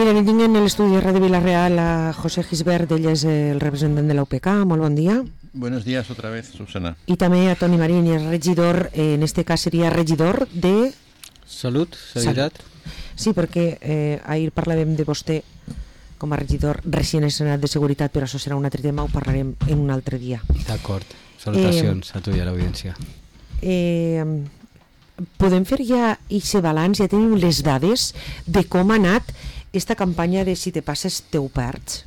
Miren, tinc en l'estudi de Ràdio Vila-real a José Gisbert, ell és el representant de la UPK. Molt bon dia. Buenos días otra vez, Susana. I també a Toni Marín, és regidor, en este cas seria regidor de... Salut, Seguretat. Sí, perquè ahir parlàvem de vostè com a regidor recient estrenat de Seguretat, però això serà un altre tema, ho parlarem en un altre dia. D'acord, salutacions a tu i a l'audiència. Podem fer ja aquest balanç, ja tenim les dades de com ha anat esta campaña de si te pasas te ho perds.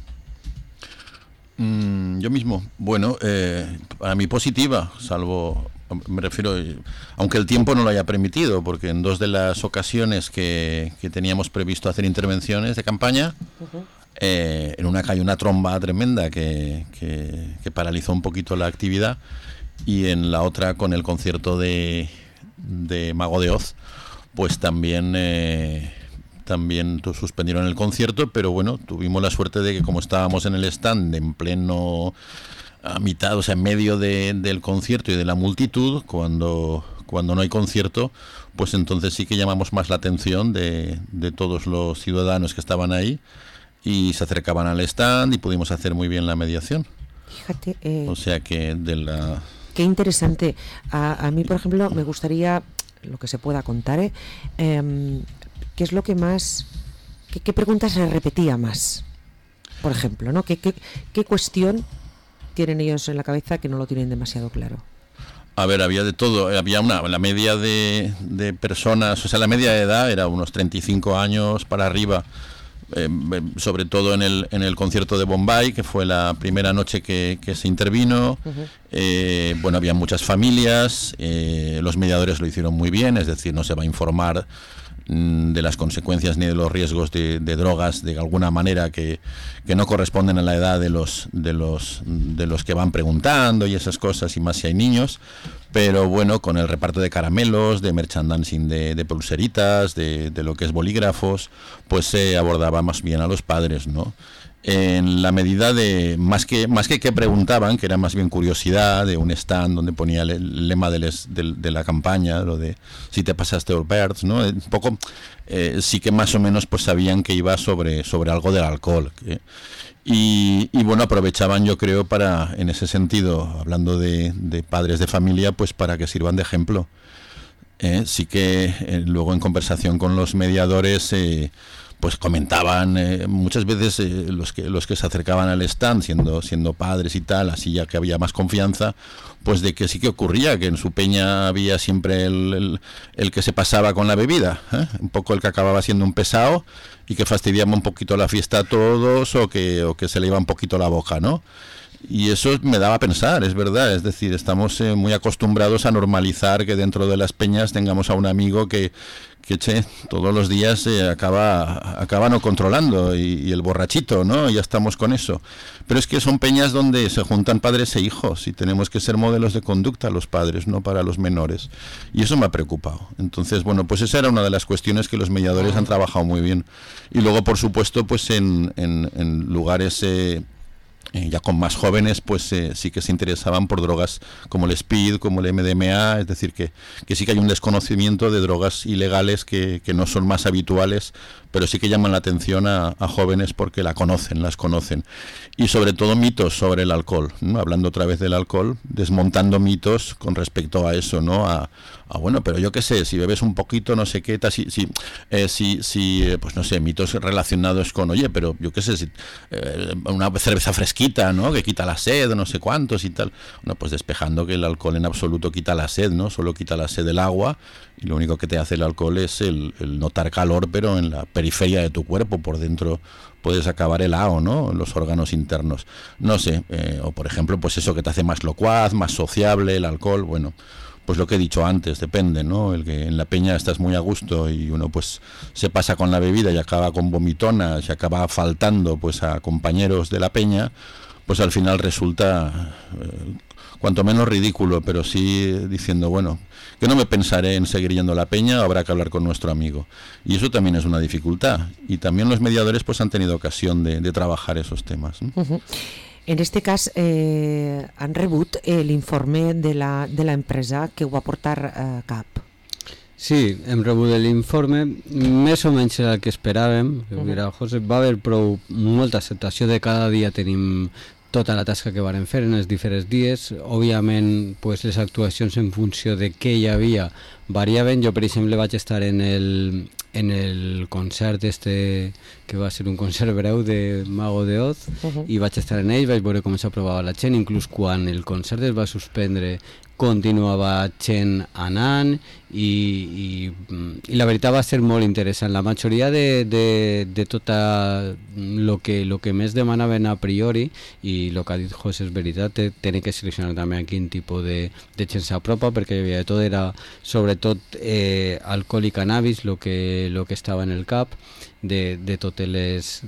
Yo mismo, bueno, para mí positiva, salvo, me refiero, aunque el tiempo no lo haya permitido, porque en dos de las ocasiones que teníamos previsto hacer intervenciones de campaña, en una cayó una tromba tremenda que paralizó un poquito la actividad, y en la otra, con el concierto de Mago de Oz, pues también suspendieron el concierto, pero bueno, tuvimos la suerte de que como estábamos en el stand en pleno, a mitad, o sea, en medio del concierto y de la multitud, cuando no hay concierto, pues entonces sí que llamamos más la atención de todos los ciudadanos que estaban ahí y se acercaban al stand y pudimos hacer muy bien la mediación. Fíjate, o sea que de la... Qué interesante. A mí, por ejemplo, me gustaría, lo que se pueda contar, ¿qué es lo que más, qué preguntas se repetía más? Por ejemplo, ¿no? ¿Qué cuestión tienen ellos en la cabeza que no lo tienen demasiado claro? A ver, había de todo. Había la media de personas, o sea, la media de edad era unos 35 años para arriba, sobre todo en el concierto de Bombay, que fue la primera noche que se intervino. Bueno, había muchas familias, los mediadores lo hicieron muy bien, es decir, no se va a informar de las consecuencias ni de los riesgos de drogas de alguna manera que no corresponden a la edad de los que van preguntando y esas cosas, y más si hay niños, pero bueno, con el reparto de caramelos, de merchandising, de pulseritas, de lo que es bolígrafos, pues se abordaba más bien a los padres, ¿no? En la medida de más que preguntaban, que era más bien curiosidad, de un stand donde ponía el lema de la campaña, lo de si te pasaste o perds, ¿no? Un poco sí que más o menos pues sabían que iba sobre algo del alcohol, y bueno, aprovechaban, yo creo, para, en ese sentido, hablando de padres de familia, pues para que sirvan de ejemplo. Sí que luego en conversación con los mediadores pues comentaban muchas veces los que se acercaban al stand siendo padres y tal, así ya que había más confianza, pues de que sí que ocurría que en su peña había siempre el que se pasaba con la bebida, un poco el que acababa siendo un pesado y que fastidiaba un poquito la fiesta a todos, o que se le iba un poquito la boca, ¿no? Y eso me daba a pensar, es verdad, es decir, estamos muy acostumbrados a normalizar que dentro de las peñas tengamos a un amigo que todos los días acaba no controlando, y el borrachito, ¿no? Ya estamos con eso. Pero es que son peñas donde se juntan padres e hijos, y tenemos que ser modelos de conducta los padres, no para los menores. Y eso me ha preocupado. Entonces, bueno, pues esa era una de las cuestiones que los mediadores han trabajado muy bien. Y luego, por supuesto, pues en lugares... ya con más jóvenes, pues sí que se interesaban por drogas como el speed, como el MDMA, es decir, que sí que hay un desconocimiento de drogas ilegales que no son más habituales, pero sí que llaman la atención a jóvenes porque las conocen. Y sobre todo mitos sobre el alcohol, ¿no? Hablando otra vez del alcohol, desmontando mitos con respecto a eso, ¿no? Bueno, pero yo qué sé, si bebes un poquito, no sé qué, pues no sé, mitos relacionados con, oye, pero yo qué sé, una cerveza fresquita, ¿no? Que quita la sed, no sé cuántos y tal. Bueno, pues despejando que el alcohol en absoluto quita la sed, ¿no? Solo quita la sed del agua, y lo único que te hace el alcohol es el notar calor, pero en la periferia de tu cuerpo, por dentro puedes acabar helado, ¿no? En los órganos internos. No sé, o por ejemplo, pues eso que te hace más locuaz, más sociable, el alcohol, bueno... Pues lo que he dicho antes, depende, ¿no? El que en la peña estás muy a gusto y uno pues se pasa con la bebida y acaba con vomitonas y acaba faltando pues a compañeros de la peña, pues al final resulta cuanto menos ridículo, pero sí diciendo, bueno, que no me pensaré en seguir yendo a la peña, habrá que hablar con nuestro amigo. Y eso también es una dificultad. Y también los mediadores pues han tenido ocasión de trabajar esos temas, ¿no? En este cas han rebut l'informe de la empresa que ho va portar a cap. Sí, hem rebut l'informe, més o menys era el que esperàvem. José, va haver molta acceptació de cada dia tenim tota la tasca que varen fer en els diferents dies. Òbviament, pues, les actuacions en funció de què hi havia variaven. Jo, per exemple, vaig estar en el concert que va ser un concert breu de Mago de Oz, i vaig estar en ell, vaig veure com s'aprovava la gent, inclús quan el concert es va suspendre continuava gent anant i la veritat va ser molt interessant. La majoria de tot el que més demanaven a priori, i el que ha dit José és veritat, tenen que seleccionar també a quin tipus de gent s'apropa, perquè hi havia de tot, era sobretot alcohol i cannabis el que estava en el cap de totes les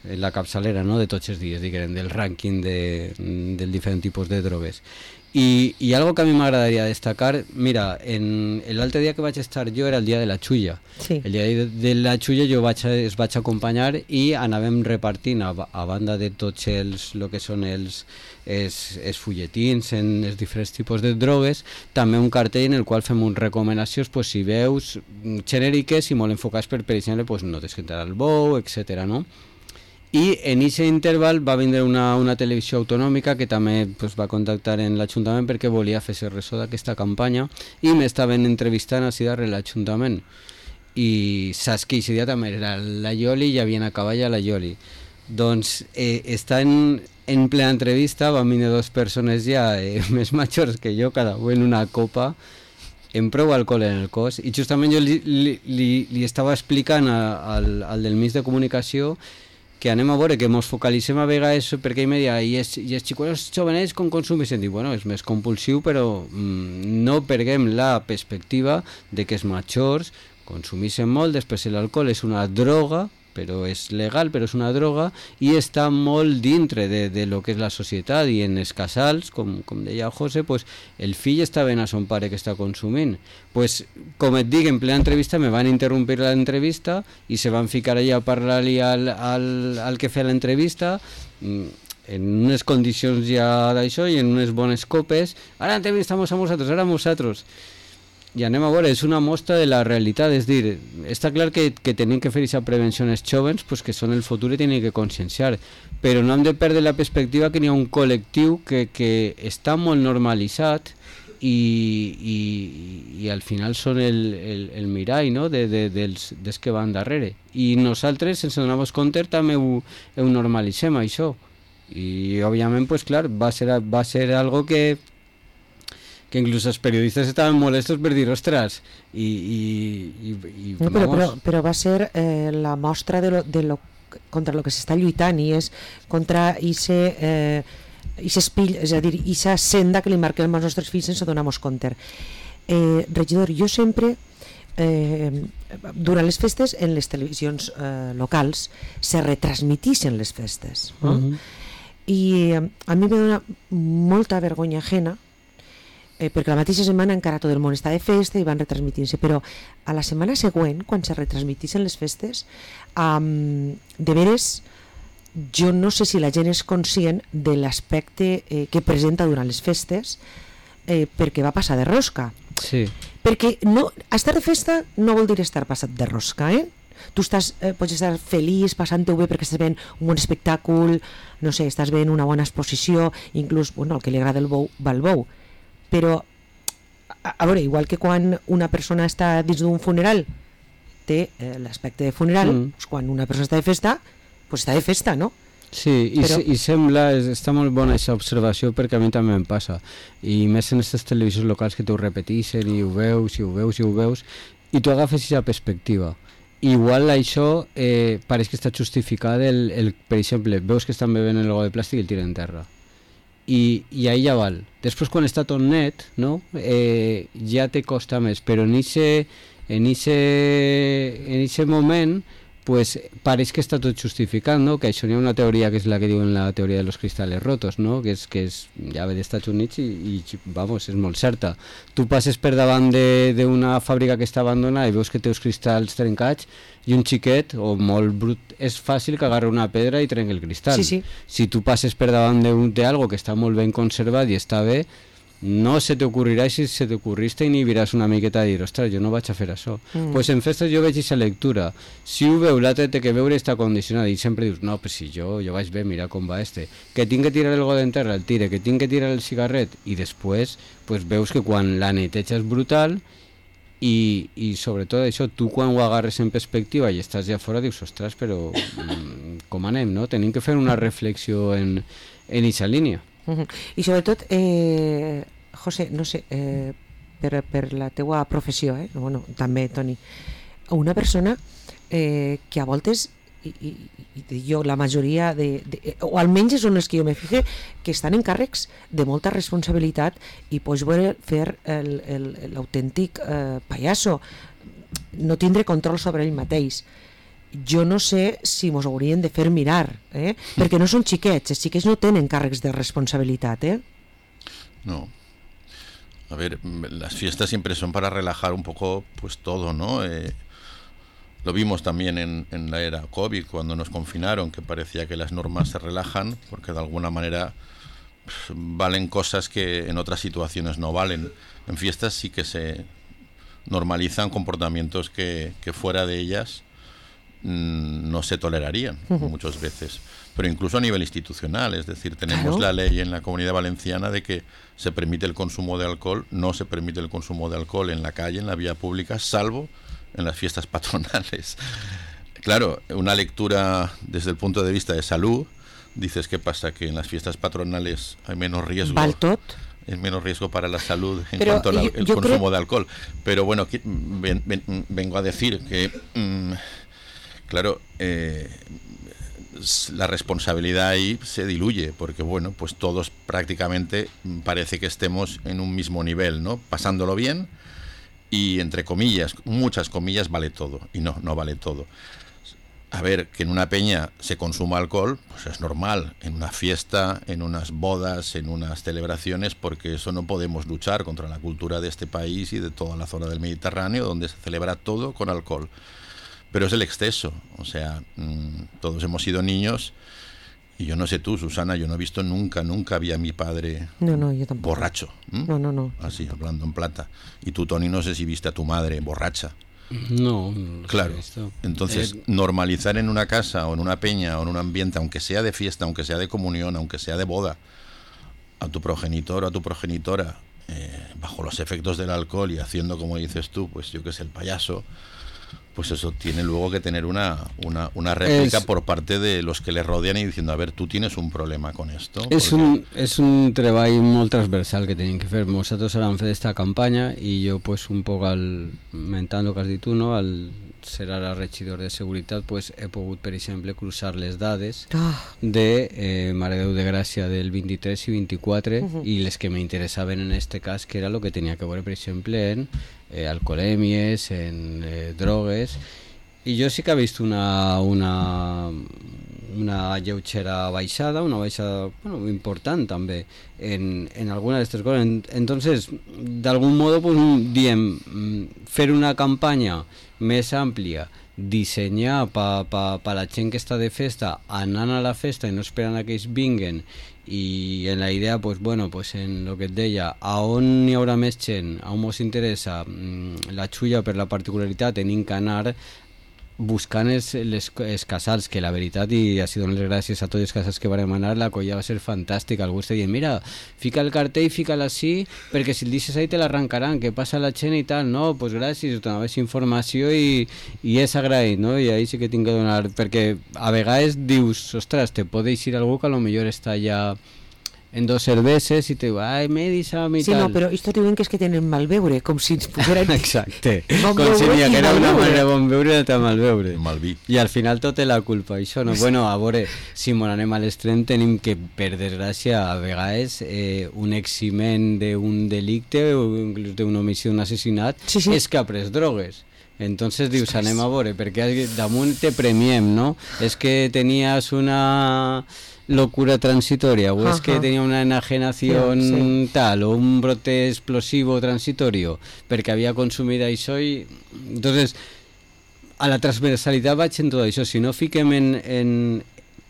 en la capçalera, no? De tots els dies, diguem, del rànquing del diferent tipus de drogues. I algo que a mi m'agradaria destacar, mira, l'altre dia que vaig estar jo era el dia de la xulla. Sí. El dia de la xulla jo es vaig acompanyar i anàvem repartint a banda de tots el que són els fulletins en els diferents tipus de drogues, també un cartell en el qual fem unes recomanacions, pues, si veus genèriques i molt enfocats per exemple, pues, no tens que entrar al bou, etc. no? I en aquest interval va vindre una televisió autonòmica que també, pues, va contactar en l'Ajuntament perquè volia fer-se ressò d'aquesta campanya i m'estaven entrevistant així darrere l'Ajuntament. I saps que aquest dia també era la Ioli i havien acabat ja la Ioli. Doncs està en plena entrevista, van venir dues persones ja més majors que jo, cada un en una copa, amb prou alcohol en el cos, i justament jo li estava explicant al del mig de comunicació que anem a veure, que ens focalitzem a vegades, perquè ell me deia, i els xicots jovenets com consumeixen? Dic, bueno, és més compulsiu, però no perguem la perspectiva de que els majors consumeixen molt, després l'alcohol és una droga, però és legal, però és una droga, i està molt dintre de lo que és la societat, i en els casals, com deia José, pues, el fill està ben a son pare que està consumint. Pues, com et dic, en plena entrevista me van interrompir l'entrevista i se van ficar allà a parlar-li al que feia l'entrevista, en unes condicions ja d'això i en unes bones copes. Ara entrevistamos a vosaltres, ara a vosaltres. I anem a veure, és una mostra de la realitat, és dir, està clar que tenim que fer aquesta prevenció als joves, pues, que són el futur i tenim que conscienciar, però no hem de perdre la perspectiva que hi ha un col·lectiu que està molt normalitzat i al final són el mirall, no? dels que van darrere, i nosaltres, sense donar-nos compte, també ho normalitzem, això, i òbviament, pues, clar, va ser algo que inclús els periodistes estaven molestos per dir, ostres, no, però va ser la mostra contra lo que s'està lluitant, i és contra aquest espill, és a dir, aquesta senda que li marquem als nostres fills sense donar-nos compte. Regidor, jo sempre durant les festes en les televisions locals se retransmitixen les festes, no? I a mi me dona molta vergonya ajena, perquè la mateixa setmana encara tot el món està de festa i van retransmitint-se, però a la setmana següent, quan se retransmitixen les festes, de veres, jo no sé si la gent és conscient de l'aspecte que presenta durant les festes, perquè va passar de rosca. Sí. Perquè estar de festa no vol dir estar passat de rosca, Tu pots estar feliç, passant-ho bé perquè estàs veient un bon espectacle, no sé, estàs veient una bona exposició, inclús, bueno, el que li agrada el bou va al bou, però a veure, igual que quan una persona està dins d'un funeral té l'aspecte de funeral, doncs quan una persona està de festa, doncs està de festa, no? Sí, i sembla, està molt bona aquesta observació, perquè a mi també em passa, i més en aquestes televisions locals que t'ho repeteixen i ho veus, i tu agafes aquesta perspectiva. Igual això pareix que està justificat, per exemple, veus que estan bevent el got de plàstic i el tiren en terra. I ahí ja val. Després, quan està tot net, no? Ja te costa més, però en eixe moment pues, pareix que està tot justificat, no? Que això hi ha una teoria que és la que diuen la teoria de los cristales rotos, no? Que és ja ve d'Estats Units i vamos, és molt certa. Tu passes per davant d'una fàbrica que està abandonada i veus que té uns cristalls trencats i un xiquet o molt brut, és fàcil que agarri una pedra i trenqui el cristall. Sí. Si tu passes per davant d'algo que està molt ben conservat i està bé, no se t'ocorrirà, i si se t'ocorrís t'inhibiràs una miqueta de dir, ostres, jo no vaig a fer això. Pues en festes jo veig aquesta lectura. Si ho veu, l'altre té que veure està condicionat, i sempre dius, no, però si jo vaig bé, mira com va este. Que tinc que tirar el got en terra, el tire, que tinc que tirar el cigarret, i després pues, veus que quan la neteja és brutal, i sobretot això, tu quan ho agarres en perspectiva i estàs ja fora, dius, ostres, però com anem, no? Tenim que fer una reflexió en aquesta línia. I sobretot, José, no sé, per la teua professió, bueno, també, Toni, una persona que a voltes, i jo la majoria, o almenys són els que jo me fixe, que estan en càrrecs de molta responsabilitat i pots veure fer l'autèntic pallasso, no tindre control sobre ell mateix. Jo no sé si mos haurien de fer mirar, perquè no són xiquets, els xiquets no tenen càrrecs de responsabilitat, No. A ver, las fiestas siempre son para relajar un poco pues todo, ¿no? Lo vimos también en la era COVID, cuando nos confinaron, que parecía que las normas se relajan, porque de alguna manera valen cosas que en otras situaciones no valen. En fiestas sí que se normalizan comportamientos que fuera de ellas no se tolerarían muchas veces, pero incluso a nivel institucional, es decir, tenemos la ley en la Comunidad Valenciana de que se permite el consumo de alcohol, no se permite el consumo de alcohol en la calle, en la vía pública, salvo en las fiestas patronales. Claro, una lectura desde el punto de vista de salud, dices, ¿qué pasa? Que en las fiestas patronales hay menos riesgo. Es menos riesgo para la salud en cuanto al consumo de alcohol. Pero bueno, vengo a decir que claro, la responsabilidad ahí se diluye, porque bueno, pues todos prácticamente parece que estemos en un mismo nivel, ¿no? Pasándolo bien y entre comillas, muchas comillas, vale todo, y no vale todo. A ver, que en una peña se consuma alcohol, pues es normal, en una fiesta, en unas bodas, en unas celebraciones, porque eso no podemos luchar contra la cultura de este país y de toda la zona del Mediterráneo, donde se celebra todo con alcohol. Pero es el exceso, o sea, todos hemos sido niños y yo no sé tú, Susana, yo no he visto nunca vi a mi padre yo tampoco. Borracho. No. Así, hablando en plata. Y tú, Toni, no sé si viste a tu madre borracha. No claro. He visto. Entonces, normalizar en una casa o en una peña o en un ambiente, aunque sea de fiesta, aunque sea de comunión, aunque sea de boda, a tu progenitor o a tu progenitora bajo los efectos del alcohol y haciendo, como dices tú, pues yo que sé, el payaso, pues eso tiene luego que tener una réplica por parte de los que le rodean y diciendo, a ver, tú tienes un problema con esto. És un treball molt transversal que tenim que fer. Nosaltres ara hem fet esta campanya i jo pues un poc mentant el que has dit tu, no? Al ser ara regidor de seguretat, pues he pogut, per exemple, cruzar les dades de Mare Déu de Gràcia del 23 i 24 i les que m'interessaven en este cas, que era el que tenia que veure, per exemple, en alcoholèmies, en drogues, i jo sí que he vist una lleugera baixada, una baixada important també en alguna d'aquestes coses. Entonces, d'algun modo, pues, diem, fer una campanya més àmplia, dissenyar per la gent que està de festa, anant a la festa i no esperant que ells vinguen, i en la idea, pues bueno, pues en lo que et deia, a on hi haurà més gent, a on ens interessa la xulla per la particularitat, tenim que anar buscant els casals, que la veritat, i així dono les gràcies a tots els casals que vam anar, la colla va ser fantàstica. Algú està dient, mira, fica el cartell, fica-la així, perquè si el deixes ahí te l'arrancaran, que passa la gent i tal. No, doncs gràcies, donaves informació i és agraït, no? I ahí sí que tinc que donar, perquè a vegades dius, ostres, te pot deixar algú que a lo millor està ja en 2 cerveses i te diu, ai, m'he deixat i sí, tal. No, però esto diuen que és que tenen mal veure, com si ens pogueren... Exacte, com si n'hi haguera una manera de bon veure i altra mal veure. Malví. I al final tot és la culpa, això, no? Bueno, a veure, si m'ho anem a l'extrem, tenim que, per desgràcia, a vegades un eximent d'un delicte o inclús d'una omissió, d'un assassinat, és que ha pres drogues. Entonces dius, anem a veure, perquè damunt te premiem, no? És que tenies una locura transitoria, o es que tenía una enajenación tal, o un brote explosivo transitorio, perquè havia consumit això i... Entonces, a la transversalitat vaig en tot això. Si no fiquem en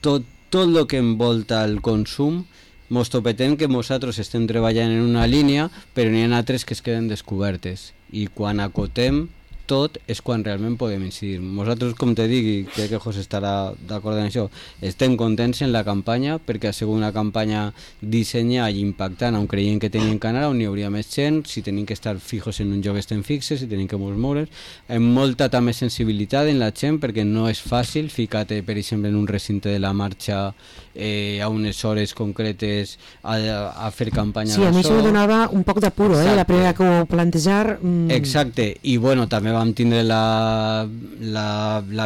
tot el que envolta el consum, mos topetem que nosaltres estem treballant en una línia, però n'hi ha altres que es queden descobertes, i quan acotem tot és quan realment podem incidir. Nosaltres, com te dic, i crec que José estarà d'acord en això, estem contents en la campanya perquè ha sigut una campanya dissenyada i impactant on creiem que tenim que anar, on hi hauria més gent, si tenim que estar fijos en un lloc estem fixes, si tenim que moure's, amb molta també sensibilitat en la gent perquè no és fàcil ficar-te, per exemple, en un recinte de la marxa a unes hores concretes a fer campanya. Sí, a mi això me donava un poc d'apuro, la primera que ho plantejar. Exacte, i bueno, també vam tindre la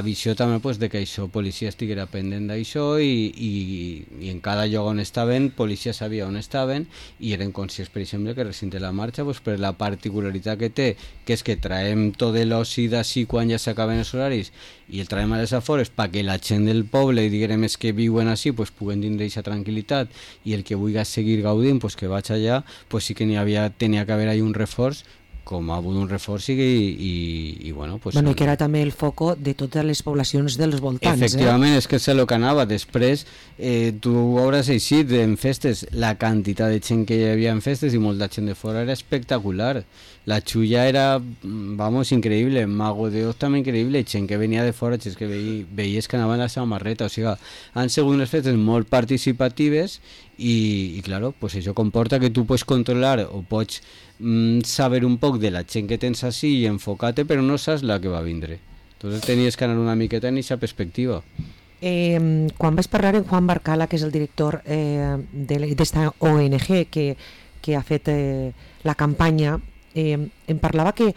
visió també pues, de que això, policia estiguera pendent d'això i en cada lloc on estaven, policia sabia on estaven i eren conscients, per exemple, que recinte la marxa pues, per la particularitat que té, que és que traiem tot l'oci d'ací quan ja s'acaben els horaris i el traiem a les afores perquè la gent del poble, diguem, és que viuen així, pues, puguen tindre aquesta tranquil·litat i el que vulgui seguir gaudint, pues, que vaig allà, pues, sí que tenia que haver ahí un reforç, com ha hagut un reforç i bueno, pues, bueno, i que era també el foco de totes les poblacions dels voltants. Efectivament, és que és el que anava. Després, tu hauràs eixit en festes, la quantitat de gent que hi havia en festes i molta gent de fora era espectacular. La xulla era, vamos, increïble. Mago de Oz també increïble. Gent que venia de fora, gent que veies que anaven a la samarreta. O sigui, han sigut unes festes molt participatives i claro, pues això comporta que tu pots controlar o pots saber un poc de la gent que tens així i enfocar-te, però no saps la que va vindre. Entonces tenies que anar una miqueta en aquesta perspectiva. Quan vaig parlar amb Juan Barcala, que és el director d'esta ONG que ha fet la campanya, em parlava que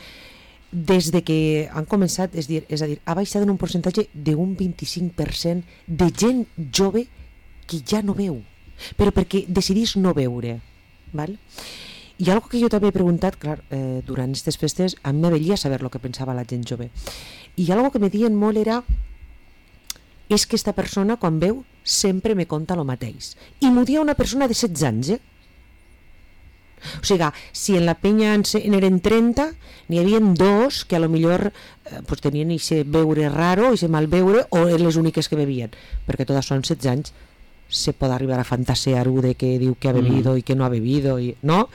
des de que han començat, és a dir, ha baixat en un percentatge d'un 25% de gent jove que ja no veu, però perquè decidís no veure, val? I algo que jo també he preguntat, clar, durant aquestes festes, a mi m'avellia saber el que pensava la gent jove. I algo que me diuen molt era és que esta persona, quan veu, sempre me conta el mateix. I m'ho dia una persona de 16 anys, O sigui, si en la penya eren 30, n'hi havia 2 que a lo millor pues, tenien ese beure raro, ese mal beure, o eren les úniques que bevien, perquè totes són 16 anys. Se puede arribar a fantasear de que diu que ha bebido y que no ha bebido, ¿no?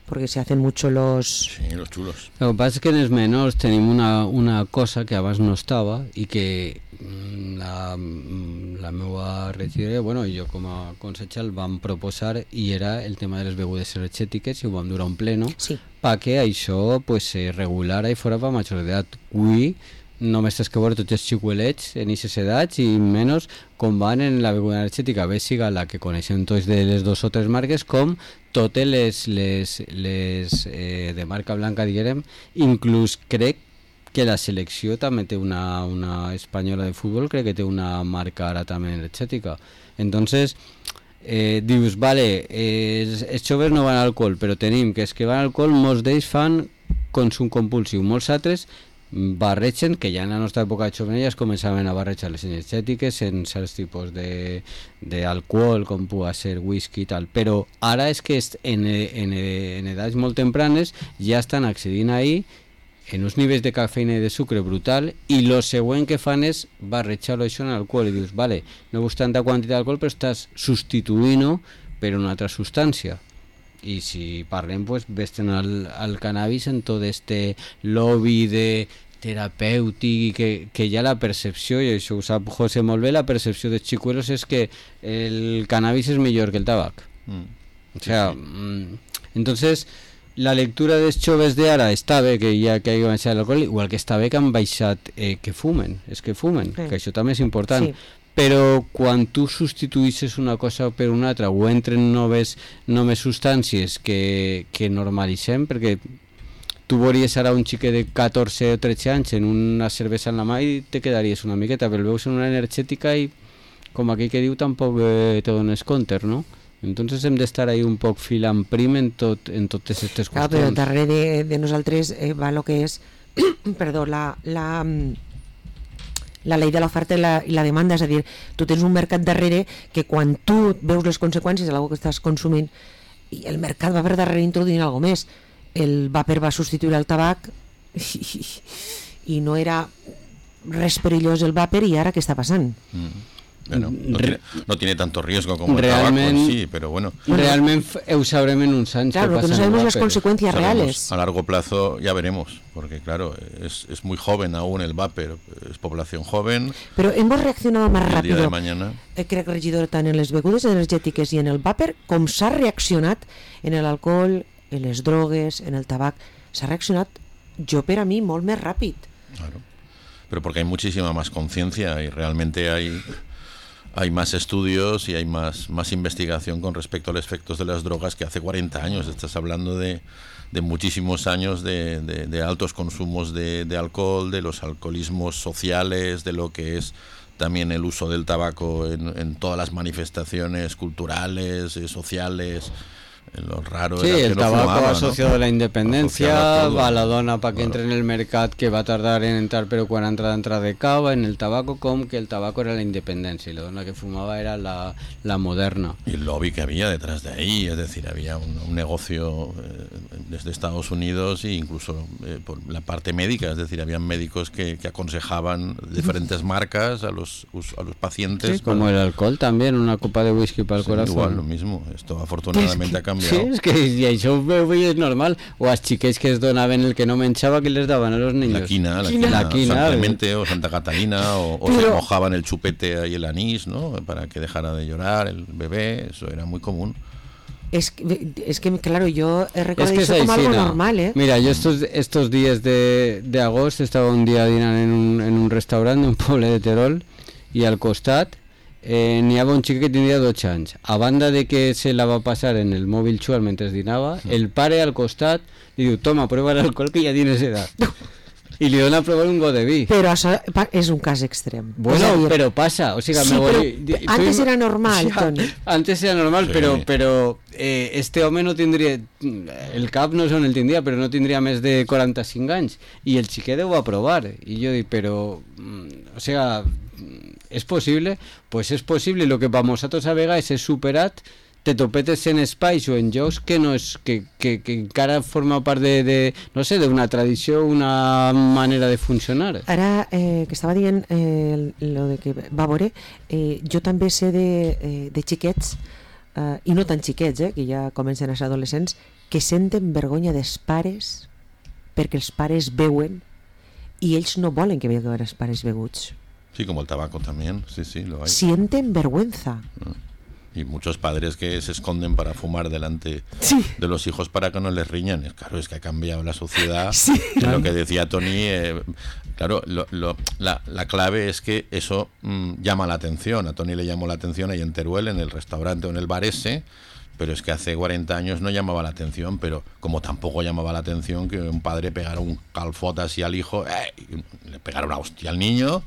Porque se hacen mucho los chulos. Lo que pasa es que en los menors tenim una cosa que abans no estava i que la meva regidora, bueno, i jo com a consellera el vam proposar i era el tema de les begudes energètiques i ho vam durar un pleno perquè això pues, se regulara i fora per major d'edat. Avui només tens que veure tots els xicuelets en aquestes edats i menys com van en la beguda energètica, bé siga la que coneixem tots de les 2 o 3 marques com totes les de marca blanca, diguem, inclús crec que la selecció també té una espanyola de futbol, crec que té una marca ara també energètica. Entonces dius, vale, els joves no van a alcohol, però tenim que els que van a alcohol, molts d'ells fan consum compulsiu, molts altres barregen, que ja en la nostra època de jovenelles començaven a barrejar les energètiques en certs tipus d'alcohol, com pugui ser whisky i tal, però ara és que en edats molt tempranes ja estan accedint ahí en uns nivells de cafeïna i de sucre brutal i el següent que fan és barrejar-ho això en alcohol i dius, vale, no gust tanta quantitat d'alcohol però estàs substituint-ho per una altra substància. I si parlem, pues, vesten al cannabis en tot este lobby de terapèutic i que ja la percepció, i això ho sap José molt bé, la percepció dels xicuelos és que el cannabis és millor que el tabac. O sea, entonces la lectura dels joves d'ara està bé que ja que hagi baixat l'alcohol, igual que està bé que han baixat que fumen, que això també és important. Però quan tu substituïsses una cosa per una altra o entren noves substàncies que normalitzem, perquè tu veuries ara un xiquet de 14 o 13 anys en una cervesa en la mà i te quedaries una miqueta, però el veus en una energètica i com aquell que diu tampoc te dones compte, no? Entonces hem d'estar ahí un poc filant prim en totes aquestes qüestions. Clar, però darrere de nosaltres va el que és perdó, la llei de l'oferta i la demanda, és a dir, tu tens un mercat darrere que quan tu veus les conseqüències de l'algo que estàs consumint i el mercat va per darrere introduint alguna més, el vapor va substituir el tabac i no era res perillós el vapor i ara què està passant? Bueno, no tiene tanto riesgo como el tabaco en sí, pero bueno. Realmente ho sabrem en uns anys. Claro, que no sabemos las consecuencias reales. A largo plazo ya veremos, porque claro, es muy joven aún el vapor, es población joven. Pero hemos reaccionado más rápido. El día de mañana. Crec, regidor, tant en les begudes energètiques i en el vapor, com s'ha reaccionat en l'alcohol, en les drogues, en el tabac. S'ha reaccionat, jo per a mi, molt més ràpid. Claro, pero porque hay muchísima más conciencia y realmente hay más estudios y hay más investigación con respecto a los efectos de las drogas que hace 40 años. Estás hablando de muchísimos años de altos consumos de alcohol, de los alcoholismos sociales, de lo que es también el uso del tabaco en todas las manifestaciones culturales, sociales. Lo raro sí, era el que tabaco fumaba, asociado ¿no? a la independencia, va a la dona para que entre en el mercat que va a tardar en entrar, pero cuando entra de cava, en el tabaco, como que el tabaco era la independencia y la dona que fumaba era la moderna. Y el lobby que había detrás de ahí, es decir, había un negocio desde Estados Unidos e incluso por la parte médica, es decir, habían médicos que aconsejaban diferentes marcas a los pacientes. Sí, como el alcohol también, una copa de whisky para el corazón. Igual, lo mismo, esto afortunadamente ha cambiado. Sí, és que i això és normal. O als xiquets que es donaven el que no menjava, que les daban a los niños. La quina, San Clemente o Santa Catalina, o se mojaban el chupete y el anís, ¿no? Para que dejara de llorar el bebé, eso era muy común. Es que claro, yo he recordado eso como algo normal, ¿eh? Mira, yo estos días de agosto estaba un día dinant en un restaurant d'un poble de Terol i al costat n'hi havia un xic que tindria 12 anys. A banda de que se la va passar en el mòbil xual mentre dinava, el pare al costat li diu, toma, prueba l'alcohol que ja tienes edad. I li dona a provar un got de vi. Però això és un cas extrem. Bueno, però passa. O sigui, sí, però antes era normal, Toni. Antes era normal, sí. però este home no tindria... El cap no sé on el tindria, però no tindria més de 45 anys. I el xiquet ho va provar. I jo dic, però... O sigui... ¿Es posible? Pues es posible. Lo que para nosaltres a vegades és superat, te topetes en espais o en jocs que no és que encara forma part de no sé, d'una tradició, una manera de funcionar. Ara que estava dient lo de que va veure, jo també sé de xiquets i no tan xiquets, que ja comencen a ser adolescents, que senten vergonya dels pares perquè els pares beuen i ells no volen que veuen els pares beguts. Sí, como el tabaco también, sí, lo hay. Sienten vergüenza. Y muchos padres que se esconden para fumar delante de los hijos para que no les riñan. Claro, es que ha cambiado la sociedad. Sí. Lo que decía Toni, claro, la clave es que eso llama la atención. A Toni le llamó la atención ahí en Teruel, en el restaurante o en el bar ese, pero es que hace 40 años no llamaba la atención, pero como tampoco llamaba la atención que un padre pegara un calfot así al hijo, le pegara una hostia al niño,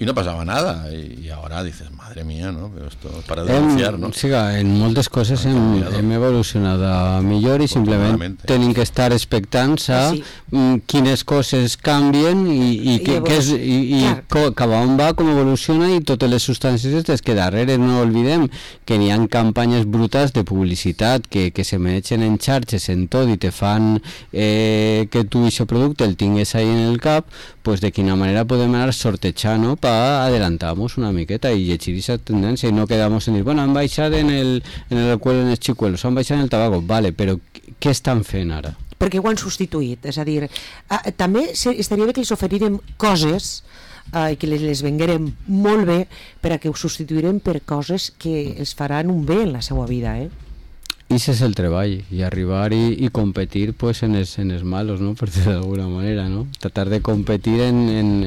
i no passava nada, i ara dices, madre mía, no? Però esto es para denunciar, no? Sí, en moltes coses hem evolucionat a millor i simplement tenim que estar expectants a quines coses canvien i cap on va, com evoluciona i totes les substàncies des que darrere no oblidem que n'hi ha campanyes brutals de publicitat que se mengen en xarxes en tot i te fan que tu aquest producte el tingues ahí en el cap, pues de quina manera podem anar sortejant, no? Para adelantarnos una miqueta y llegir esa tendencia y no quedamos en decir, bueno, han baixat en el alcohol, en els xicuelos, han baixat en el tabaco, vale, però què estan fent ara? Perquè ho han substituït, és a dir, també estaria bé que els oferirem coses i que les venguérem molt bé per a que ho substituirem per coses que els faran un bé en la seva vida, I ese es el treball, y arribar y competir pues en els malos, ¿no? Por decirlo de alguna manera, ¿no? Tratar de competir en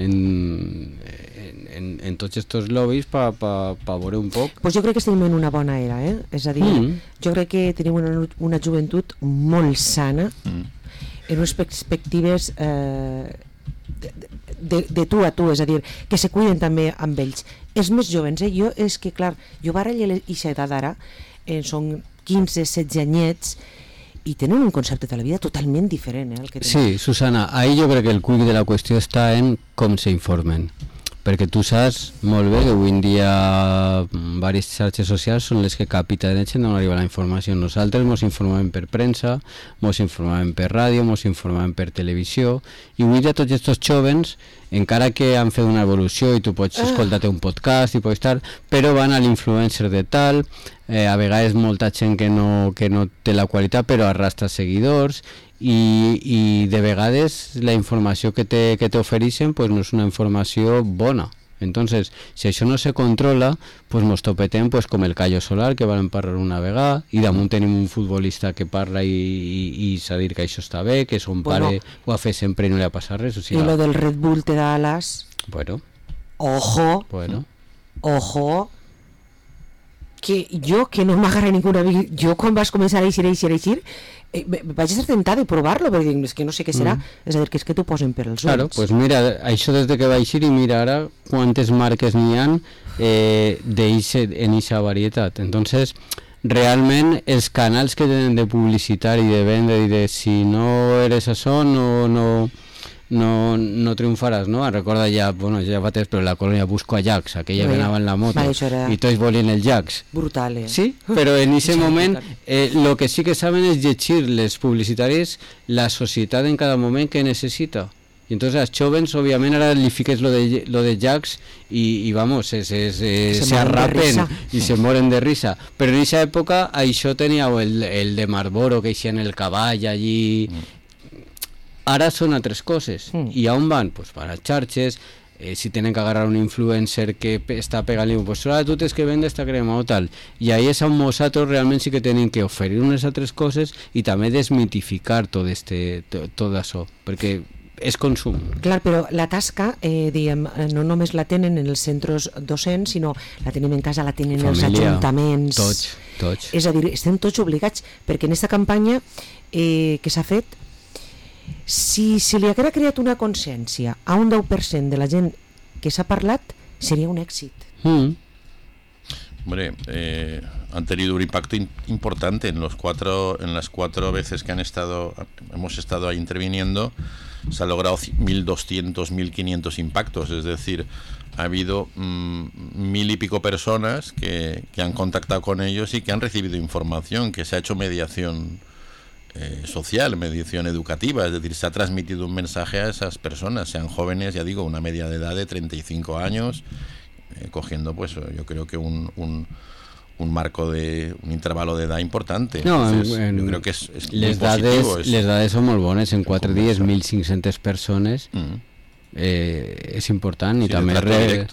tots estos lobbies per veure un poc. Pues jo crec que estem en una bona era, és a dir, jo crec que tenim una joventut molt sana en unes perspectives de tu a tu, és a dir, que se cuiden també amb ells. Els més jovens, jo és que, clar, jo barallo aquesta edat ara, són 15, 16 anyets i tenen un concepte de la vida totalment diferent. El que sí, Susana, ahí jo crec que el quic de la qüestió està en com s'informen. perquè tu saps molt bé que avui en dia diverses xarxes socials són les que capitanejen on arriba la informació. Nosaltres ens informem per premsa, ens informem per ràdio, ens informem per televisió, i avui dia tots aquests jóvens, encara que han fet una evolució i tu pots escoltar-te un podcast i pots estar, però van a l'influencer de tal, a vegades molta gent que no té la qualitat però arrastra seguidors, i de vegades la informació que t'ofereixen pues no és una informació bona. Entonces, si això no se controla, pues mos topetem pues com el Cayo Solar, que van parlar una vegada, i damunt tenim un futbolista que parla i s'ha dit que això està bé, que son pare ho ha fet sempre i no li ha passat res. O sigui, i lo del Red Bull te da alas. Bueno. Ojo. Que jo, que no m'agarra ninguna... Jo quan vas començar a eixir, vaig estar tentada de provar-lo, perquè dic, és que no sé què serà. És a dir, que és que t'ho posen per els ulls. Claro, pues mira, això des que va eixir, i mira ara quantes marques n'hi ha en eixa varietat. Entonces, realment, els canals que tenen de publicitar i de vendre i de si no eres això, no triomfaràs, no? Recorda ja fa temps, però la colònia Busco a Jax, aquella que anava en la moto, i tots volien el Jax. Brutal, Sí, però en aquest moment lo que sí que saben és llegir les publicitàries la societat en cada moment que necessita. I entonces als jóvens, òbviament, ara li fiques lo de Jax i vamos, se arrapen i se moren de risa. Però en aquesta època això tenia el de Marlboro, que eixia en el cavall allí... Ara són altres coses. I on van? Pues van a xarxes, si tenen que agarrar un influencer que està pegant-li, pues tu tens que vendre esta crema o tal. I ahí és on nosaltres realment sí que tenim que oferir unes altres coses i també desmitificar tot això, perquè és consum. Clar, però la tasca, diguem, no només la tenen en els centres docents, sinó la tenim en casa, la tenen en els ajuntaments. Tots. És a dir, estem tots obligats, perquè en aquesta campanya que s'ha fet, si se li haguera creat una consciència a un 10% de la gent que s'ha parlat, sería un éxito. Hombre, han tenido un impacto importante en las cuatro veces que hemos estado ahí interviniendo. Se ha logrado 1.200, 1.500 impactos, es decir, ha habido 1.000 y pico personas que han contactado con ellos y que han recibido información, que se ha hecho mediación social, mediación educativa, es decir, se ha transmitido un mensaje a esas personas, sean jóvenes, ya digo, una media de edad de 35 años, cogiendo pues yo creo que un marco de un intervalo de edad importante. No, entonces, yo creo que es les dades són molt bones, en 4 dies 1.500 persones. És important, i també de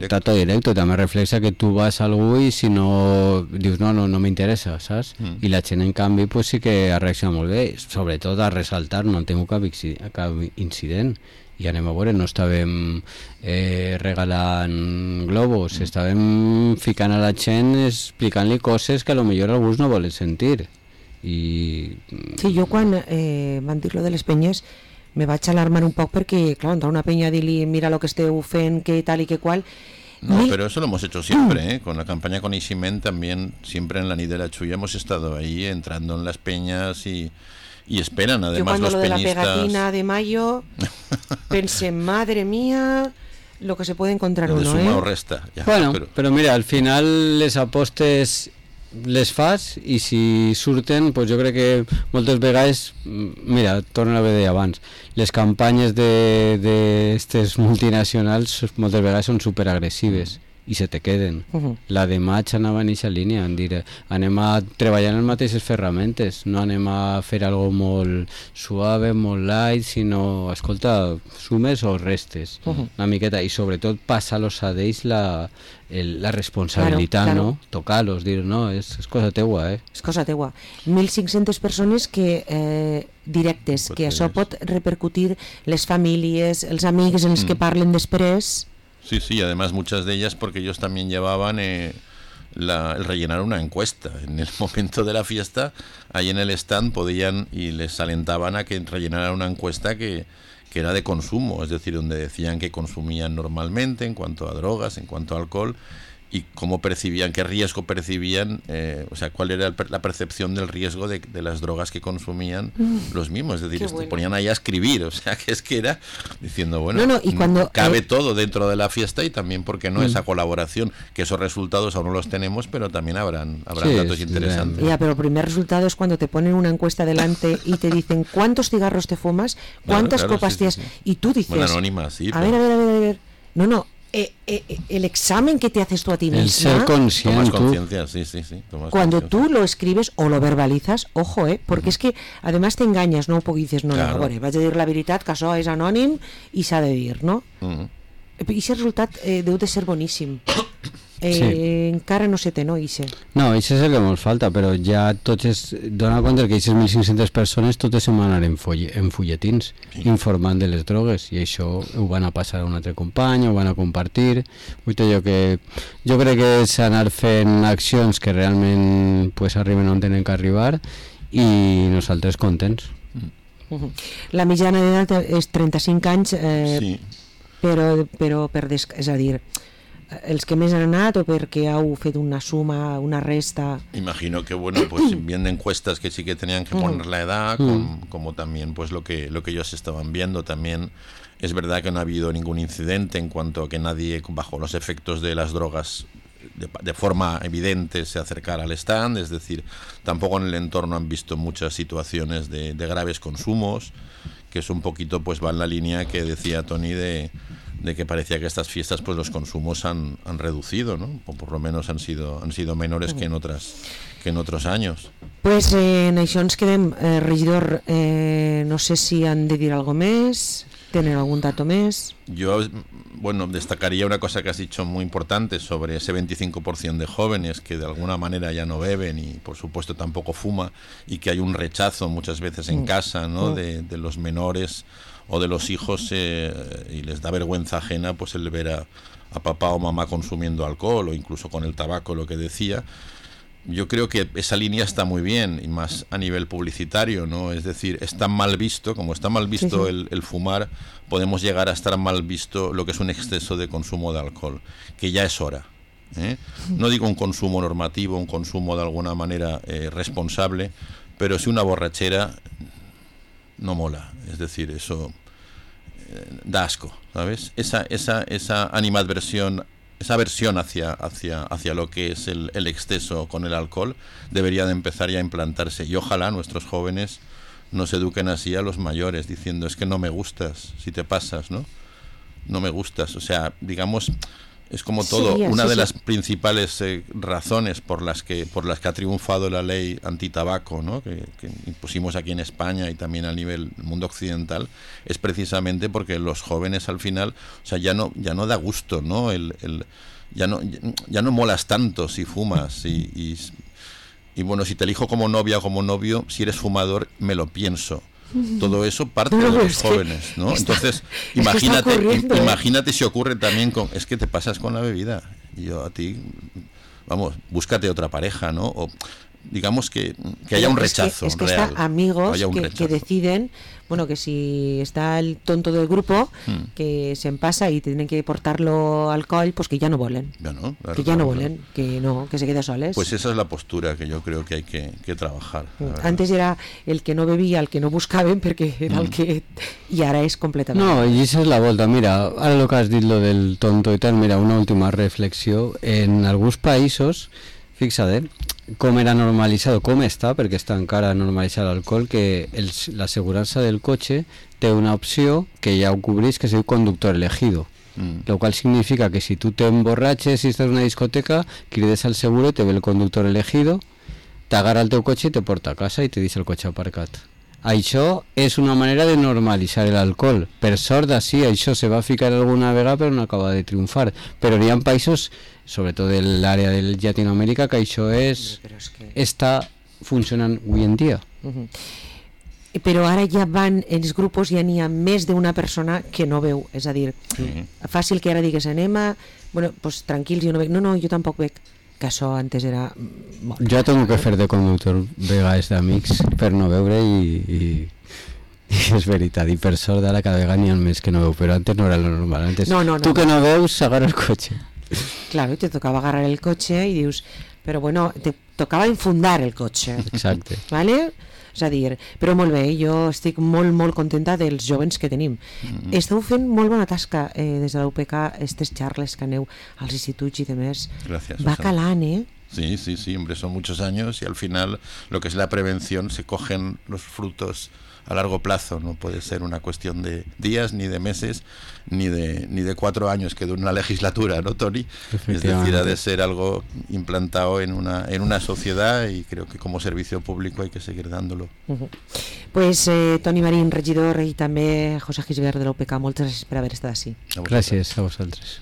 trato directo, també reflexa que tu vas a algú i si no dius no m'interessa, saps? I la gent en canvi pues sí que ha reaccionat molt bé, sobretot a ressaltar, no en tinc cap incident, i anem a veure, no estàvem regalant globus, estàvem ficant a la gent explicant-li coses que a lo millor alguns no volen sentir. Sí, jo quan van dir lo de les penyes me vaig alarmar un poc perquè, clar, entrar una peña a dir-li mira lo que esteu fent, que tal y que cual. No, pero eso lo hemos hecho siempre, con la campaña con Isimen también, siempre en la Nit de la Chulla hemos estado ahí entrando en las peñas y esperan además los peñistas. Yo cuando lo de la pegatina de mayo pensé, madre mía, lo que se puede encontrar uno, suma o resta. Ja, bueno, però mira, al final les apostes les fas i si surten, pues jo crec que moltes vegades, mira, torno a veure abans, les campanyes d'estes multinacionals moltes vegades són superagressives i se te queden. La de maig anava en aquesta línia, en dir, anem a treballar en les mateixes ferramentes, no anem a fer algo molt suave, molt light, sinó, escolta, sumes o restes, una miqueta, i sobretot passa-los a ells la responsabilitat, claro. No? Tocar-los, dir, no, és cosa teua, És cosa teua. 1.500 persones que directes, que això pot repercutir les famílies, els amics, els que parlen després. Sí, además muchas de ellas porque ellos también llevaban el rellenar una encuesta. En el momento de la fiesta, ahí en el stand podían y les alentaban a que rellenaran una encuesta que era de consumo, es decir, donde decían que consumían normalmente en cuanto a drogas, en cuanto a alcohol, y cómo percibían, qué riesgo percibían, o sea, cuál era la percepción del riesgo de las drogas que consumían los mismos. Es decir, se ponían ahí a escribir, o sea, que es que era diciendo, bueno, y cuando, cabe todo dentro de la fiesta y también, ¿por qué no esa colaboración? Que esos resultados aún no los tenemos, pero también habrán datos interesantes. Ya, pero el primer resultado es cuando te ponen una encuesta delante y te dicen cuántos cigarros te fumas, cuántas copas te has... Y tú dices... Bueno, anónima, sí. A ver. No. El examen que te haces tú a ti misma, el ser consciente, tomas conciencia, sí, cuando tú lo escribes o lo verbalizas, ojo, porque es que además te engañas, no? Porque dices, vaig a dir la veritat, que això és anònim i s'ha de dir, no? I aquest resultat deu de ser boníssim. Encara no se té, no, Ixe? No, això és el que ens falta, però ja tots dona compte que aquestes 1.500 persones totes se'n van anar en fulletins informant de les drogues, i això ho van a passar a un altre company, ho van a compartir. Jo crec que és anar fent accions que realment pues, arriben on tenen que arribar, i nosaltres contents. La mitjana d'edat és 35 anys, però és a dir, els que més han anat o perquè heu fet una suma, una resta. Imagino que bueno, pues viendo encuestas que sí que tenían que poner la edad, como también pues lo que ellos estaban viendo. También es verdad que no ha habido ningún incidente en cuanto a que nadie bajo los efectos de las drogas de forma evidente se acercara al stand, es decir, tampoco en el entorno han visto muchas situaciones de graves consumos, que es un poquito pues va en la línea que decía Toni de que parecía que estas fiestas pues los consumos han reducido, ¿no? O por lo menos han sido menores que en otros años. Pues en això ens quedem, regidor, no sé si han de dir algo més, tenen algún dato més. Yo, bueno, destacaría una cosa que has dicho muy importante sobre ese 25% de jóvenes que de alguna manera ya no beben y por supuesto tampoco fuma, y que hay un rechazo muchas veces en casa, ¿no? De los menores o de los hijos, y les da vergüenza ajena pues el ver a papá o mamá consumiendo alcohol o incluso con el tabaco, lo que decía. Yo creo que esa línea está muy bien, y más a nivel publicitario, ¿no? Es decir, está mal visto, como está mal visto el fumar, podemos llegar a estar mal visto lo que es un exceso de consumo de alcohol, que ya es hora, ¿eh? No digo un consumo normativo, un consumo de alguna manera responsable, pero si una borrachera no mola, es decir, eso da asco, ¿sabes? Esa animadversión, esa aversión hacia lo que es el exceso con el alcohol debería de empezar ya a implantarse, y ojalá nuestros jóvenes nos eduquen así a los mayores, diciendo, es que no me gustas si te pasas, ¿no? No me gustas, o sea, digamos, es como todo, una de las principales razones por las que ha triunfado la ley antitabaco, ¿no? que impusimos aquí en España y también a nivel del mundo occidental, es precisamente porque los jóvenes al final, o sea, ya no da gusto, ¿no? Ya no molas tanto si fumas, y bueno, si te elijo como novia o como novio, si eres fumador, me lo pienso. Todo eso parte de los jóvenes, ¿no? Entonces, imagínate si ocurre también es que te pasas con la bebida. Y yo a ti, vamos, búscate otra pareja, ¿no? O digamos que haya un rechazo es que real. Está amigos que deciden, bueno, que si está el tonto del grupo que se pasa y tienen que portarlo alcohol, pues que ya no volen, que se quede soles. Pues esa es la postura que yo creo que hay que trabajar. Antes era el que no bebía, el que no buscaven, porque era el que... Y ahora es completamente... No, i esa és la volta. Mira, ara el que has dit lo del tonto i tal, mira, una última reflexió. En alguns països, fixa't, com era normalitzat, com està, perquè està encara normalitzat l'alcohol, que l'assegurança del cotxe té una opció que ja ho cobreix, que es diu conductor elegido, lo cual significa que si tu te emborratxes i estàs en una discoteca, crides al seguro, te ve el conductor elegido, t'agarra el teu cotxe i te porta a casa i te deixa el cotxe aparcat. Això és una manera de normalitzar l'alcohol. Per sort, sí, això se va ficar alguna vegada però no acaba de triomfar. Però hi ha països, sobretot de l'àrea de Llatinoamèrica, que això està funcionant avui en dia. Però ara ja van, en els grups ja n'hi ha més d'una persona que no veu, és a dir, fàcil que ara digues bueno, pues tranquils, jo no bec, no, jo tampoc bec, que això antes era... Jo tengo que fer de conductor vegades d'amics per no veure i és veritat, i per sort ara cada vegada n'hi ha més que no veu, però antes no era lo normal, antes tu que no veus, agarra el cotxe. Claro, y te tocaba agarrar el coche y dius, pero bueno, te tocava infundar el cotxe. Exacte. Vale? És a dir, però molt bé, jo estic molt, molt contenta dels jovens que tenim. Esteu fent molt bona tasca des de la UPK, aquestes xarles que aneu als instituts i demés. Gracias. Va calant, Sí, sí, sí, hombre, son muchos años y al final lo que es la prevención se cogen los frutos a largo plazo, no puede ser una cuestión de días, ni de meses, ni de 4 años que dura una legislatura, ¿no, Toni? Es decir, ha de ser algo implantado en una sociedad y creo que como servicio público hay que seguir dándolo. Pues Toni Marín, regidor, i també José Gisbert de l'UPK, moltes gràcies per haver estat així. Gràcies a vosaltres.